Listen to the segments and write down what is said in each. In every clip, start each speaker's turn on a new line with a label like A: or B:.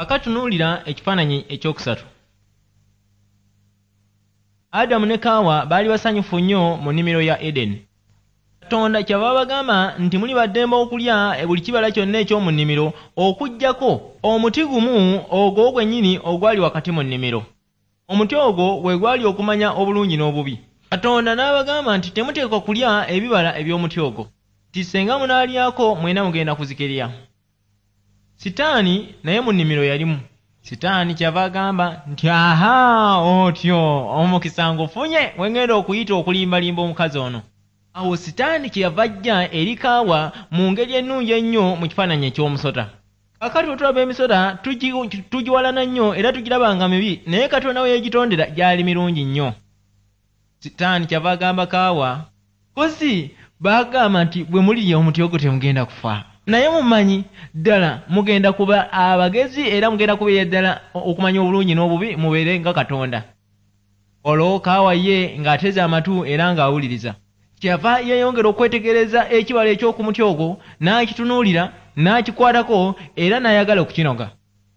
A: Akatunuulira ekifaananyi ekyokusatu. Adamu ne Kaawa baali basanyufu nnyo mu nnimiro ya Edeni. Katonda kyava bagamba nti muli baddembe okulya buli kibala kyonna eky'omu nnimiro okuggyako omuti gumu ogwo gwennyini ogwali wakati mu nnimiro. Omuti ogwo gwe gwali okumanya obulungi n'obubi. Katonda n'abagamba nti temuteekwa kulya ebibala eby'omuti ogwo, nti singa munaalyako mwena mugenda kuzikirira. Sitaani naye mu nnimiro yalimu. Sitaani kyava agamba nti aha, otyo omukisa ngufunye we ŋŋenda okuyita okulimbalimba omukazi ono. Awo Sitaani kyeyava ajja eri Kaawa mu ngeri ennungi ennyo mu kifaananyi eky'omusota. Kaakati bwe tulaba emisota tugiwalana nnyo era tugiraba nga mibi, naye Katonda we yagitondera gyali mirungi nnyo. Sitaani kyava agamba Kaawa, kozi baagamba nti bwe mulirya omuti ogwo temugenda kufa. Naye mumanyi ddala mugenda kuba abagezi era mugenda kubeera ddala okumanya obulungi n'obubi, mubeere nga Katonda. Olwo Kaawa ye ng'ateze amatu era ng'awuliriza. Kyeyava yeeyongera okwetegereza ekibala eky'okumuti ogwo, n'akitunuulira, n'akikwatako era n'ayagala okukinoga.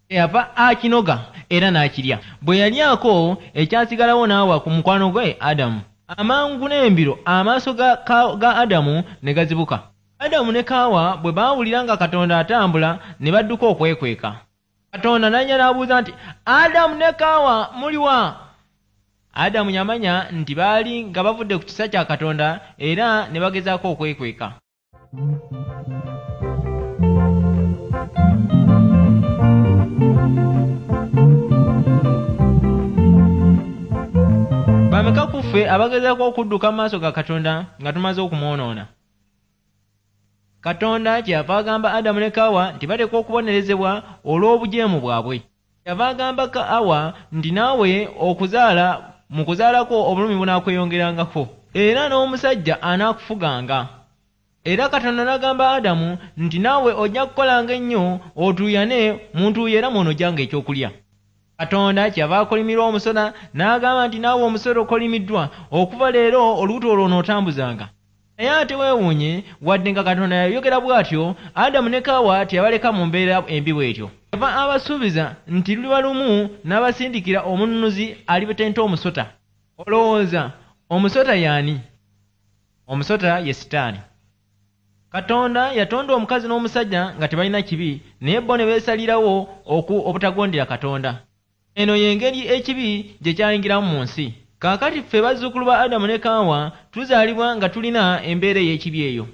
A: Kyeyava akinoga era n'akirya. Bwe yalyako ekyasigalawo n'awa ku mukwano gwe Adamu. Amangu n'embiro amaaso ga Adamu ne gazibuka. Adamu ne Kaawa bwe baawulira nga Katonda atambula ne badduka okwekweka. Katonda n'ajja n'abuuza nti, Adamu ne Kaawa muliwa? Adamu yamanya nti baali nga bavudde ku kisa kya Katonda era ne bagezaako okwekweka. Bameka ku ffe abagezaako okudduka mu maaso ga Katonda nga tumaze okumwonoona? Katonda kyeyava agamba Adamu ne Kaawa nti bateekwa okubonerezebwa olw'obujeemu bwabwe. Kyeyava agamba Kaawa nti naawe okuzaala mu kuzaalako obulumi bunaakweyongerangako era n'omusajja anaakufuganga. Era Katonda n'agamba Adamu nti naawe ojja kukolanga ennyo otuuyane mu ntuuyo era mw'onojjanga ekyokulya. Katonda kyeyava akolimirwa omusota n'agamba nti naawe omusota okolimiddwa, okuva leero olubuto olwo onootambuzanga. Naye ate weewuunye, wadde nga Katonda yayogera bw'atyo, Adamu ne Kaawa teyabaleka mu mbeera embi bw'etyo. Kyeyava abasuubiza nti luliba lumu n'abasindikira omununuzi alibetenta omusota. Olowooza omusota y'ani? Omusota ye Sitaani. Katonda yatonda omukazi n'omusajja nga tebalina kibi, naye bo ne beesalirawo obutagondera Katonda. Eno y'engeri ekibi gye kyayingiramu mu nsi. Kaakati ffe bazzukulu ba Adamu ne Kaawa tuzaalibwa nga tulina embeera ey'ekibi eyo.